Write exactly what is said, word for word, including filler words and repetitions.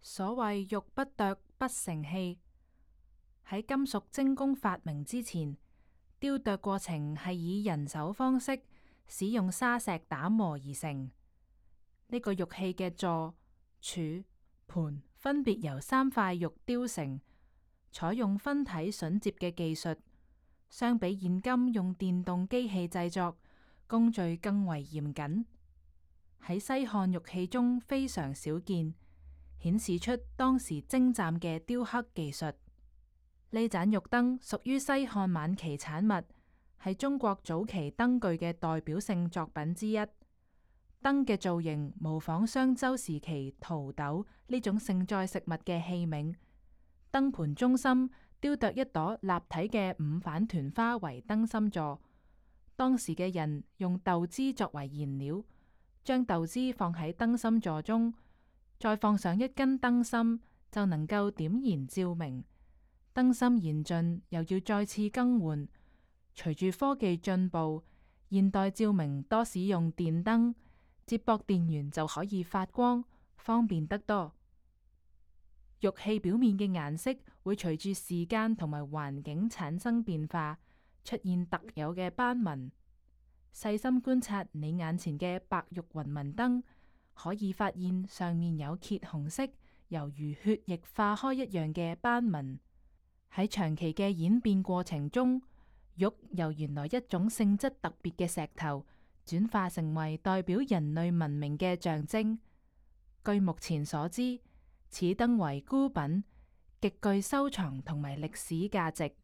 所謂玉不琢不成器，喺金屬精工發明之前，雕琢過程係以人手方式使用砂石打磨而成。呢、這個玉器嘅座、柱、盤分別由三塊玉雕成，採用分體榫接嘅技術，相比現今用電動機器製作，工序更為嚴謹。喺西漢玉器中非常少見，顯示出當時精湛嘅雕刻技術。呢盞玉燈屬於西漢晚期產物，係中國早期燈具嘅代表性作品之一。燈嘅造型模仿商周時期陶斗呢種盛載食物嘅器皿，燈盤中心雕琢一朵立體嘅五瓣團花為燈心座。當時嘅人用豆脂作為燃料，將豆脂放喺燈心座中，再放上一根燈芯，就能夠點燃照明。燈芯燃盡，又要再次更換。隨住科技進步，現代照明多使用電燈，接駁電源就可以發光，方便得多。玉器表面嘅顏色會隨住時間同埋環境產生變化，出現特有嘅斑紋。細心觀察你眼前嘅白玉雲紋燈，可以發現上面有揭紅色，猶如血液化開一樣嘅斑紋。喺長期嘅演變過程中，玉由原來一種性質特別嘅石頭，轉化成為代表人類文明嘅象徵。據目前所知，此燈為孤品，極具收藏同埋歷史價值。